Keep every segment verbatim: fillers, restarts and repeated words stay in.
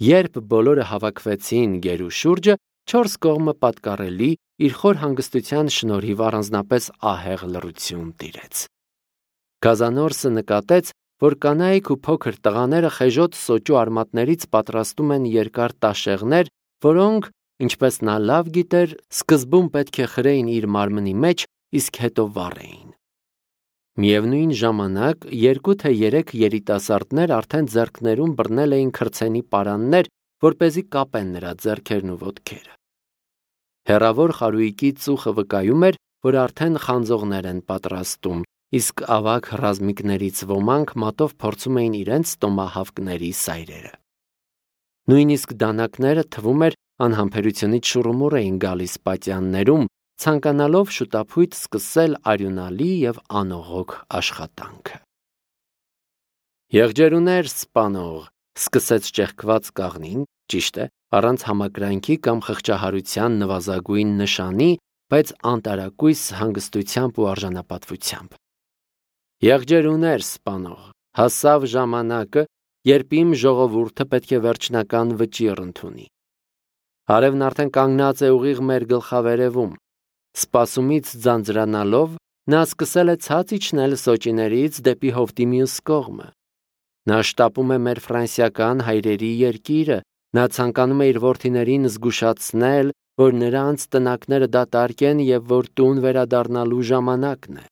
Երբ բոլորը հավաքվեցին գերու շուրջը, չորս կողմը պատկառելի իր խոր հանգստության շնորհիվ առանձնապես ահեղ լռություն տիրեց։ Գազանորսը նկատեց, որ կանայք ու փոքր տղաները խեժոտ սոճու արմատներից պատրաստում են երկար տաշեղներ, որոնք, ինչպես նա լավ գիտեր, սկզբում պետք է խրեին իր մարմնի մեջ, իսկ հետո վառեին։ Միևնույն ժամանակ երկու թե երեք երիտասարդներ արդեն ձեռքներում բռնել էին քրցենի պարաններ, որպեսզի կապեն նրա ձեռքերն ու ոտքերը։ Հեռավոր խարույկի ծուխը վկայում էր, որ արդեն խանձողներ են պատրաստում, իսկ ավագ ռազմիկներից ոմանք մատով փորձում էին իրենց տոմահավկների սայրերը։ Նույնիսկ դանակները, թվում էր, անհամբերությունից շուռումուռ էին գալիս պատյաններում, ցանկանալով շուտափույթ սկսել արյունալի և անողոք աշխատանքը։ «Եղջերուներ սպանող», սկսեց ճեղքված կաղնին, ճիշտ է, առանց համակրանքի կամ խղճահարության նվազագույն նշանի, բայց անտարակույս հանգստությամբ ու արժանապատվությամբ։ «Եղջերուներ սպանող, հասավ ժամանակը, երբ իմ ժողովուրդը պետք է վերջնական վճիռ ընդունի։ Արևն արդեն կանգնած է ուղիղ մեր գլխավերևում։ Սպասումից ձանձրանալով, նա սկսել է ցած իջնել սոճիներից դեպի հովտի մյուս կողմը։ Նա շտապում է մեր ֆրանսիական հայրերի երկիրը, նա ցանկանում է իր որդիներին զգուշացնել, որ նրանց տնակները դատարկ են և որ տուն վերադառնալու ժամանակն է։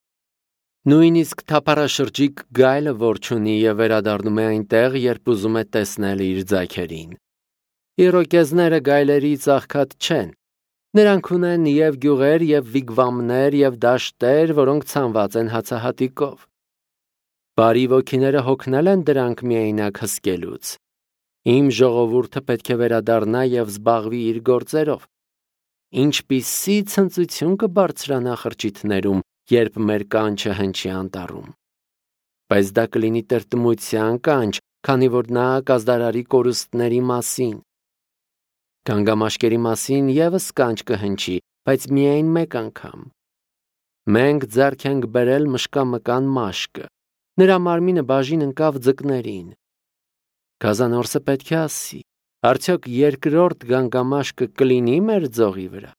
Նույնիսկ թափառաշրջիկ գայլը որջ ունի և վերադառնում է այնտեղ, երբ ուզում է տեսնել իր ձագերին։ Իրոկեզները գայլերից աղքատ չեն։ Նրանք ունեն և գյուղեր, և վիգվամներ, և դաշտեր, որոնք ցանված են հացահատիկով։ Բարի ոգիները հոգնել են դրանք միայնակ հսկելուց։ Իմ ժողովուրդը պետք է վերադառնա և զբաղվի իր գործերով։ Ինչպիսի ցնծություն կբարձրանա խրճիթներում, երբ մեր կանչը հնչի անտառում։ Բայց դա կլինի տրտմության կանչ, քանի որ նա կազդարարի կորուստների մասին։ Գանգամաշկերի մասին ևս կանչ կհնչի, բայց միայն մեկ անգամ։ Մենք ձեռք ենք բերել մշկամկան մաշկը, նրա մարմինը բաժին ընկավ ձկներին։ Գազանորսը պետք է ասի, արդյոք երկրորդ գանգամաշկը կլինի մեր ձողի վրա։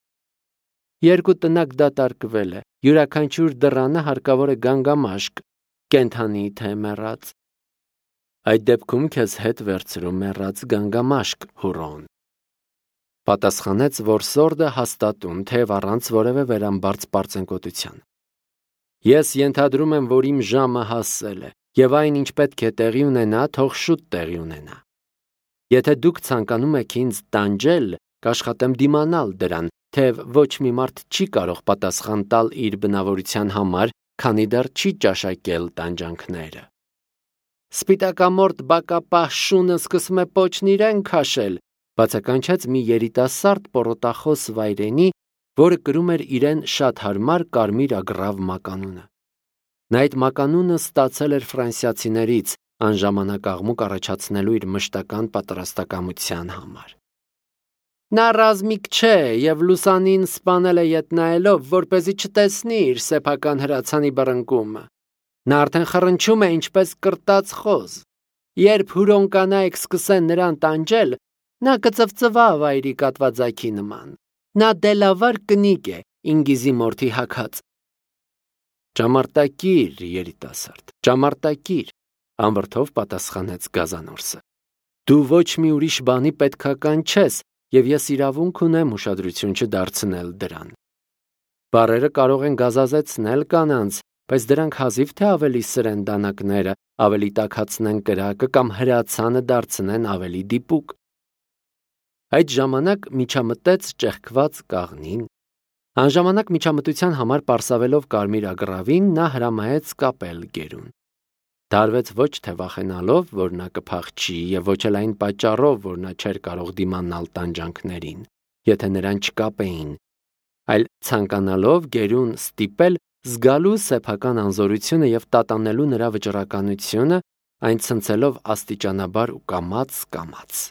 Երկու տնակ դատարկվել է, յուրաքանչյուր դռանը հարկավոր է գանգամաշկ, կենդանի թե մեռած։ Այդ դեպքում քեզ հետ վերցրու մեռած գանգամաշկ, հուրոն։ Պատասխանեց որսորդը հաստատուն, թեև առանց որևէ վերամբարձ պարծենկոտության։ Ես ենթադրում եմ, որ իմ ժամը հասել է, և այն, ինչ պետք է տեղի ունենա, թող շուտ տեղի ունենա։ Եթե դուք ցանկանում եք ինձ տանջել, կաշխատեմ դիմանալ դրան, թեև ոչ մի մարդ չի կարող պատասխան տալ իր բնավորության համար, քանի դեռ չի ճաշակել տանջանքները։ Սպիտակամորթ բակապահ շունը սկսում է պոչն իրեն քաշել, բացականչեց մի երիտասարդ պոռոտախոս վայրենի, որը կրում էր իրեն շատ հարմար կարմիր ագռավ մականունը։ Նա այդ մականունը ստացել էր ֆրանսիացիներից, անժամանակ աղմուկ առաջացնելու իր մշտական պատրաստակամության համար։ Նա ռազմիկ չէ և լուսանին սպանել է ետ նայելով, որպեսզի չտեսնի իր սեփական հրացանի բռնկումը։ Նա արդեն խռնչում է ինչպես կրտած խոզ։ Երբ հուրոն կանայք սկսեն նրան տանջել, նա կծվծվա վայրի կատվաձագի նման։ Նա դելավար կնիկ է, ինգիզիմորթի հագած։ Ճամարտակիր, երիտասարդ, ճամարտակիր, անվրդով պատասխանեց Գազանորսը։ Դու ոչ մի ուրիշ բանի պետքական չես, և ես իրավունք ունեմ ուշադրություն չդարձնել դրան։ Բառերը կարող են գազազեցնել կանանց, բայց դրանք հազիվ թե ավելի սրեն դանակները, ավելի տաքացնեն կրակը կամ հրացանը դարձնեն ավելի դիպուկ։ Այդ ժամանակ միջամտեց ճեղքված կաղնին։ Անժամանակ միջամտության համար պարսավելով կարմիր ագռավին, նա հրամայեց կապել գերուն։ Դարվեց ոչ թե վախենալով, որ նա կփախչի, և ոչ էլ այն պատճառով, որ նա չէր կարող դիմանալ տանջանքներին, եթե նրան չկապեին, այլ ցանկանալով գերուն ստիպել զգալու սեփական անզորությունը և տատանելու նրա վճռականությունը, այն ցնցելով աստիճանաբար ու կամաց-կամաց։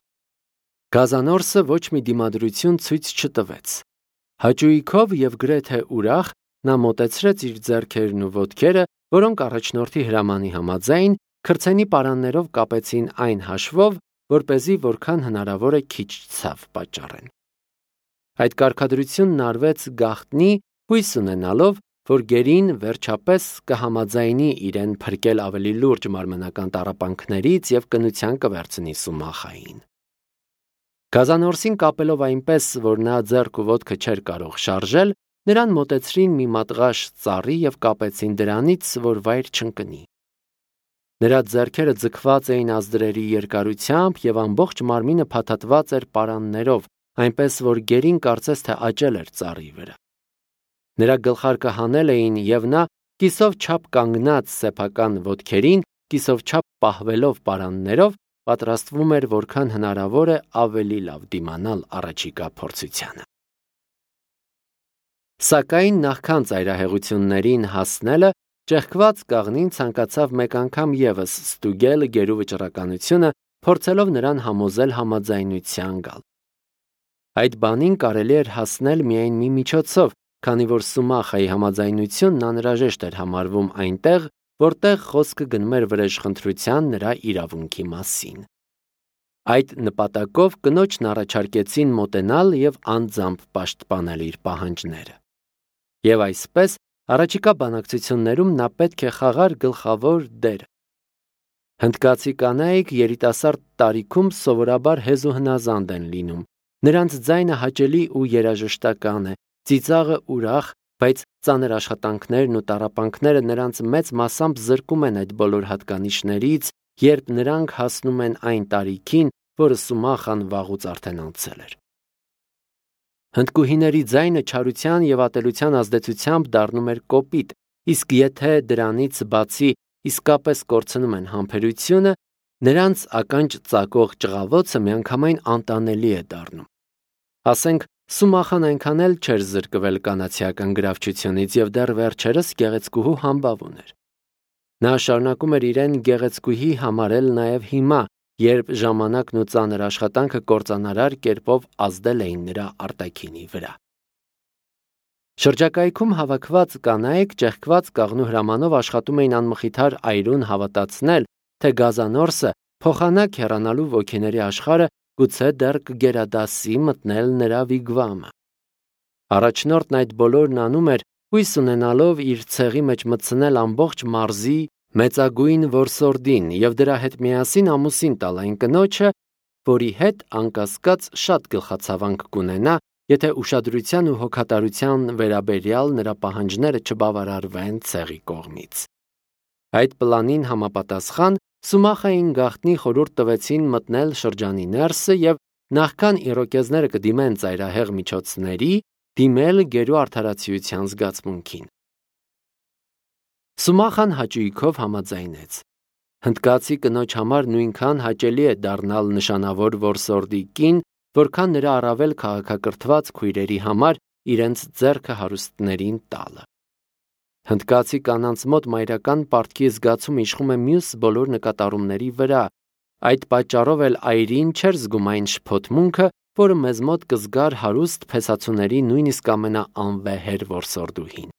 Գազանորսը ոչ մի դիմադրություն ցույց չտվեց։ Հաճույքով և գրեթե ուրախ նա մոտեցրեց իր ձեռքերն ու ոտքերը, որոնք առաջնորդի հրամանի համաձայն քրցենի պարաններով կապեցին այն հաշվով, որպեսզի որքան հնարավոր է քիչ ցավ պատճառեն։ Այդ կարգադրությունն արվեց գաղտնի, հույս ունենալով, որ գերին վերջապես կհամաձայնի իրեն փրկել ավելի լուրջ մարմնական տառապանքներից եւ կնության կվերցնի Սումախային։ Գազանորսին կապելով այնպես, որ նա ձեռք ու ոտքը չէր կարող շարժել, նրան մոտեցրին մի մատղաշ ծառի եւ կապեցին դրանից, որ վայր չընկնի։ Նրա ձեռքերը ձգված էին ազդրերի երկարությամբ եւ ամբողջ մարմինը փաթաթված էր պարաններով, այնպես որ գերին կարծես թե աճել էր ծառի վրա։ Նրա գլխարկը հանել էին եւ նա կիսով չափ կանգնած սեփական ոտքերին, կիսով չափ պահվելով պարաններով, պատրաստվում էր որքան հնարավոր է ավելի լավ դիմանալ առաջիկա փորձությանը։ Սակայն նախքան ծայրահեղություններին հասնելը, ճեղքված կաղնին ցանկացավ մեկ անգամ եւս ստուգել գերու վճռականությունը, փորձելով նրան համոզել համաձայնության գալ։ Այդ բանին կարելի էր հասնել միայն մի միջոցով, քանի որ Սումախայի համաձայնությունն անհրաժեշտ էր համարվում այնտեղ, որտեղ խոսքը գնում էր վրեժխնդրության նրա իրավունքի մասին։ Այդ նպատակով կնոջն առաջարկեցին մոտենալ եւ անձամբ պաշտպանել իր պահանջները։ Եվ այսպես, առաջիկա բանակցություններում նա պետք է խաղար գլխավոր դեր։ Հնդկացի կանայք երիտասարդ տարիքում սովորաբար հեզ ու հնազանդ են լինում։ Նրանց ձայնը հաճելի ու երաժշտական է, ծիծաղը ուրախ, բայց ծանր աշխատանքներն ու տառապանքները նրանց մեծ մասամբ զրկում են այդ բոլոր հատկանիշներից, երբ նրանք հասնում են այն տարիքին, որը Սումախան վաղուց արդեն անցել էր։ Հնդկուհիների ձայնը չարության եւ ատելության ազդեցությամբ դառնում էր կոպիտ, իսկ եթե դրանից բացի իսկապես կորցնում են համբերությունը, նրանց ականջ ծակող ճղավոցը միանգամայն անտանելի է դառնում։ Ասենք, Սումախան այնքան էլ չէր զրկվել կանացիական գրավչությունից եւ դեռ վերջերս գեղեցկուհու համբավ ուներ։ Նա շարունակում էր իրեն գեղեցկուհի համարել նաեւ հիմա, երբ ժամանակն ու ծանր աշխատանքը կործանարար կերպով ազդել էին նրա արտաքինի վրա։ Շրջակայքում հավաքված կանայք ճեղքված կաղնու հրամանով աշխատում էին անմխիթար այրուն հավատացնել, թե Գազանորսը փոխանակ հեռանալու ոգիների աշխարհը գուցե դեռ կգերադասի մտնել նրա վիգվամը։ Առաջնորդն այդ բոլորն անում էր, հույս ունենալով իր ցեղի մեջ մտցնել ամբողջ մարզի մեծագույն որսորդին եւ դրա հետ միասին ամուսին տալ այն կնոջը, որի հետ անկասկած շատ գլխացավանք կունենա, եթե ուշադրության ու հոգատարության վերաբերյալ նրա պահանջները չբավարարվեն ցեղի կողմից։ Այդ պլանին համապատասխան Սումախային գաղտնի խորհուրդ տվեցին մտնել շրջանի ներսը եւ նախքան իրոկեզները կդիմեն ծայրահեղ միջոցների, դիմել գերու արդարացիության զգացմունքին։ Սումախան հաճույքով համաձայնեց։ Հնդկացի կնոջ համար նույնքան հաճելի է դառնալ նշանավոր որսորդի կին, որքան նրա առավել քաղաքակրթված քույրերի համար իրենց ձեռքը հարուստներին տալը։ Հնդկացի կանանց մոտ մայրական պարտքի զգացում իշխում է մյուս բոլոր նկատառումների վրա, այդ պատճառով էլ այրին չէր զգում այն շփոթմունքը, որը մեզ մոտ կզգար հարուստ փեսացուների նույնիսկ ամենաանվեհեր որսորդուհին։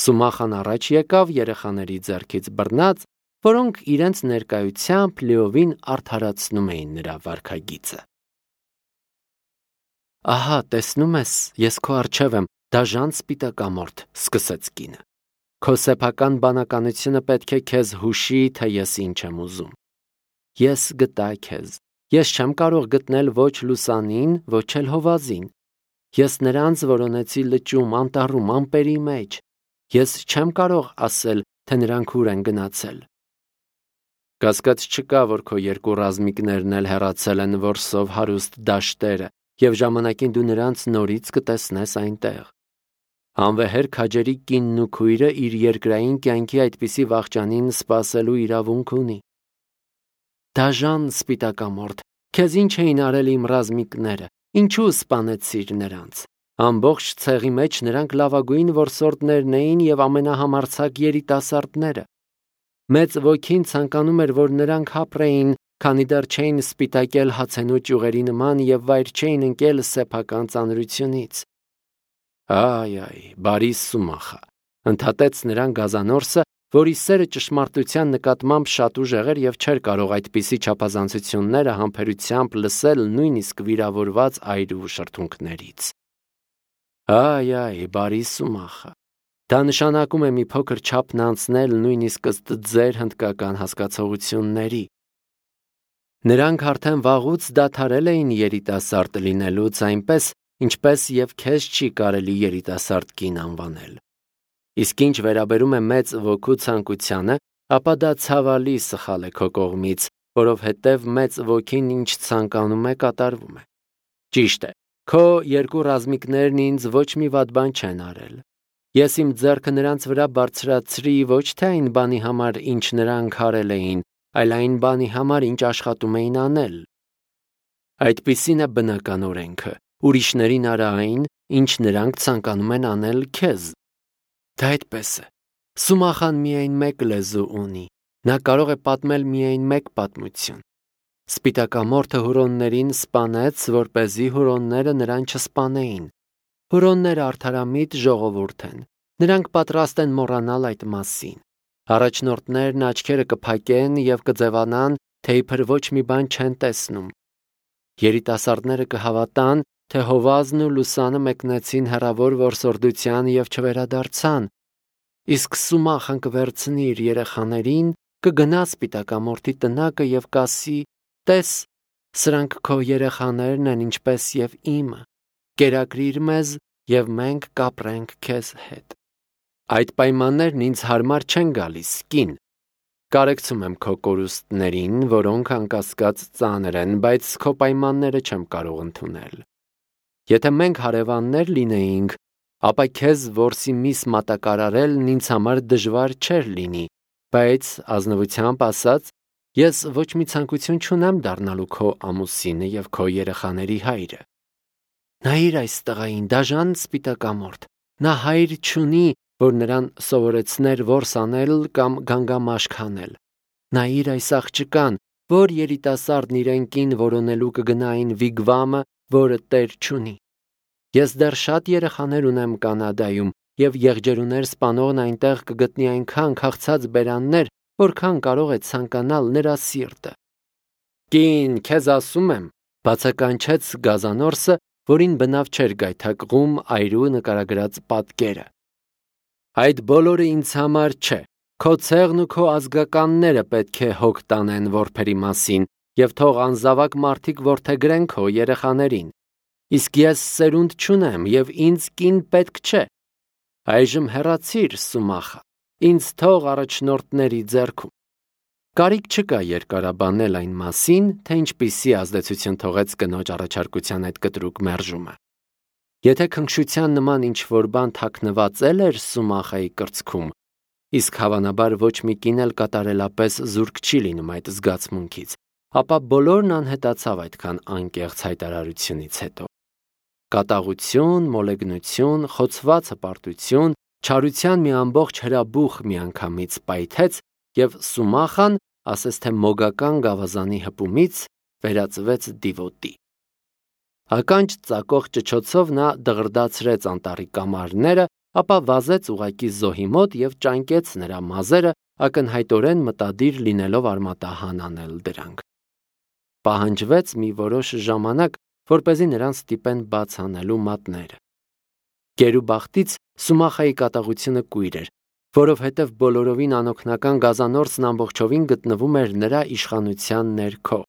Սումախան առաջ եկավ երեխաների ձեռքից բռնած, որոնք իրենց ներկայությամբ լիովին արդարացնում էին նրա վարքագիծը։ Ահա, տեսնում ես, ես քո առջև եմ, դաժան սպիտակամորթ, սկսեց կինը։ Քո սեփական բանականությունը պետք է քեզ հուշի, թե ես ինչ եմ ուզում։ Ես գտա քեզ։ Ես չեմ կարող գտնել ոչ լուսանին, ոչ էլ հովազին։ Ես նրանց որոնեցի լճում, անտառում, ամպերի մեջ։ Ես չեմ կարող ասել, թե նրանք ուր են գնացել։ Կասկած չկա, որ քո երկու ռազմիկներն էլ հեռացել են որսով հարուստ դաշտերը, եւ ժամանակին դու նրանց նորից կտեսնես այնտեղ։ Անվեհեր քաջերի կինն ու քույրը իր երկրային կյանքի այդպիսի վախճանին սпасելու իրավունք ունի։ Դաժան սպիտակամորթ, քեզ ինչ էին արել իմ ռազմիկները, ինչու սպանեցիր նրանց։ Ամբողջ ցեղի մեջ նրանք լավագույն որսորդներն էին եւ ամենահամարձակ երիտասարդները։ Մեծ ոգին ցանկանում էր, որ նրանք հապրեին, քանի դեռ չէին սպիտակել հացենու ճյուղերի նման եւ վայր չէին ընկել սեփական ծանրությունից։ Այ այ, բարի Սումախա, ընդհատեց նրան Գազանորսը, որի սերը ճշմարտության նկատմամբ շատ ուժեղ էր և չէր կարող այդպիսի չափազանցությունները համբերությամբ լսել նույնիսկ վիրավորված այրու շրթունքներից։ Այ, այ, բարի Սումախը։ Դա նշանակում է մի փոքր չափն անցնել նույնիսկ ըստ ձեր հնդկական հասկացողությունների։ Նրանք արդեն վաղուց դադարել էին երիտասարդ լինելուց, այնպես, ինչպես և քեզ չի կարելի երիտասարդ կին անվանել։ Իսկ ինչ վերաբերում է մեծ ոգու ցանկությանը, ապա դա ցավալի սխալ է քո կողմից, որովհետև մեծ ոգին ինչ ցանկանում է, կատարվում է։ Ճիշտ է, քո երկու ռազմիկներն ինձ ոչ մի վատ բան չեն արել։ Ես իմ ձեռքը նրանց վրա բարձրացրի ոչ թե այն բանի համար, ինչ նրանք արել էին, այլ այն բանի համար, ինչ աշխատում էին անել։ Այդպիսին է բնական օրենքը, ուրիշներին արա այն, ինչ նրանք ցանկանում են անել քեզ։ Դա այդպես է։ Սումախան միայն մեկ լեզու ունի, նա կարող է պատմել միայն մեկ պատմություն։ Սպիտակամորթը հուրոններին սպանեց, որպեսզի հուրոնները նրան չսպանեին։ Հուրոնները արդարամիտ ժողովուրդ են, նրանք պատրաստ են մոռանալ այդ մասին։ Առաջնորդներն աչքերը կփակեն և կձևանան, թե իբր ոչ մի բան չեն տեսնում։ Երիտասարդները կհավատան, թե հովազն ու լուսանը մեկնեցին հեռավոր որսորդության և չվերադարձան։ Իսկ Սումախան կվերցնի իր երեխաներին, կգնա սպիտակամորթի տնակը և կասի. «Տես, սրանք քո երեխաներն են, ինչպես և իմը, կերակրիր մեզ, և մենք կապրենք քեզ հետ»։ Այդ պայմաններն ինձ հարմար չեն գալիս, կին։ Կարեկցում եմ քո կորուստներին, որոնք անկասկած ծանր են, բայց քո պայմանները չեմ կարող ընդունել։ Եթե մենք հարևաններ լինեինք, ապա քեզ որսի միս մատակարարելն ինձ համար դժվար չէր լինի, բայց ազնվությամբ ասած, ես ոչ մի ցանկություն չունեմ դառնալու քո ամուսինը և քո երեխաների հայրը։ Նայիր այս տղային, դաժան սպիտակամորթ, նա հայր չունի, որ նրան սովորեցներ որս անել կամ գանգամաշկ հանել։ Նայիր այս աղջկան, որ երիտասարդն իրեն կին որոնելու կգնա այն վիգվամը, որը տեր չունի։ Ես դեռ շատ երեխաներ ունեմ Կանադայում, և եղջերուներ սպանողն այնտեղ կգտնի այնքան քաղցած բերաններ, որքան կարող է ցանկանալ նրա սիրտը։ Կին, քեզ ասում եմ, բացականչեց գազանորսը, որին բնավ չէր գայթակղում այրու նկարագրած պատկերը։ Այդ բոլորը ինձ համար չէ, քո ցեղն ու քո ազգականները պետք է հոգ տանեն որբերի մասին և թող անզավակ մարդիկ որդեգրեն քո երեխաներին։ Իսկ ես սերունդ չունեմ և ինձ կին պետք չէ։ Այժմ հեռացիր, Սումախը, ինձ թող առաջնորդների ձեռքում։ Կարիք չկա երկարաբանել այն մասին, թե ինչպիսի ազդեցություն թողեց կնոջ առաջարկության այդ կտրուկ մերժումը։ Եթե քնքշության նման ինչ-որ բան թաքնվածել էր Սումախայի կրծքում, իսկ հավանաբար ոչ մի կին էլ կատարելապես զուրկ չի լինում այդ զգացմունքից, ապա բոլորն անհետացավ այդքան անկեղծ հայտարարությունից հետո։ Կատաղություն, մոլեգնություն, խոցված հպարտություն, չարության մի ամբողջ հրաբուխ միանգամից պայթեց, և Սումախան, ասես թե մոգական գավազանի հպումից, վերածվեց դիվոտի։ Ականջ ծակող ճչոցով նա դղրդացրեց անտառի կամարները, ապա վազեց ուղղակի զոհի մոտ և ճանկեց նրա մազերը, ակնհայտորեն մտադիր լինելով արմատահան անել դրանք։ Պահանջվեց մի որոշ ժամանակ, որպեսզի նրան ստիպեն բաց անելու մատները։ Գերուբախտից Սումախայի կատաղությունը կույր էր, որովհետև բոլորովին անօգնական գազանորսն ամբողջովին գտնվում էր նրա իշխանության ներքո,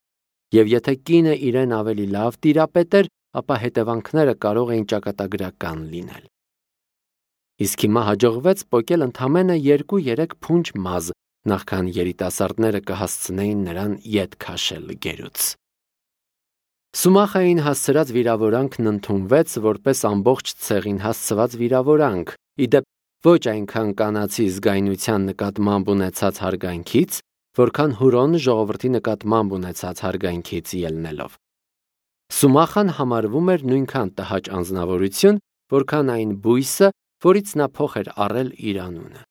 և եթե կինը իրեն ավելի լավ տիրապետեր, ապա հետևանքները կարող էին ճակատագրական լինել։ Իսկ հիմա հաջողվեց պոկել ընդամենը երկու-երեք փունջ մազ, նախքան երիտասարդները կհասցնեին նրան ետ քաշել գերուց։ Սումախային հասցրած վիրավորանքն ընդունվեց որպես ամբողջ ցեղին հասցված վիրավորանք, ի դեպ ոչ այնքան կանացի զգայունության նկատմամբ ունեցած հարգանքից, որքան հուրոն ժողովրդի նկատմամբ ունեցած հարգանքից ելնելով։ Սումախան համարվում էր նույնքան տհաճ անձնավորություն, որքան այն բույսը, որից նա փոխ էր առել իր անունը։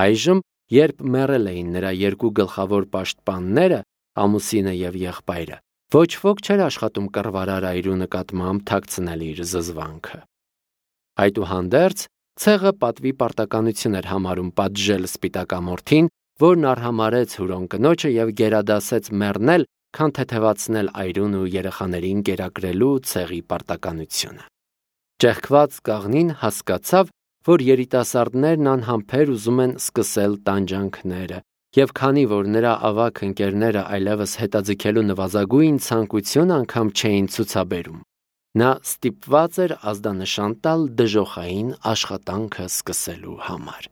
Այժմ, երբ մեռել էին նրա երկու գլխավոր պաշտպանները, ամուսինը և եղբայրը, ոչ ոք չէր աշխատում կռվարար այրու նկատմամբ թաքցնել իր զզվանքը։ Այդուհանդերձ, Ցեղը պատվի պարտականություն էր համարում պատժել սպիտակամորթին, որն արհամարեց Հուրոն կնոջը և գերադասեց մեռնել, քան թեթևացնել այրուն ու երեխաներին կերակրելու ցեղի պարտականությունը։ Ճեղքված կաղնին հասկացավ, որ երիտասարդներն անհամբեր ուզում են սկսել տանջանքները, և քանի որ նրա ավագ ընկերները այլևս հետաձգելու նվազագույն ցանկություն անգամ չէին ցուցաբերում, նա ստիպված էր ազդանշան տալ դժոխային աշխատանքը սկսելու համար։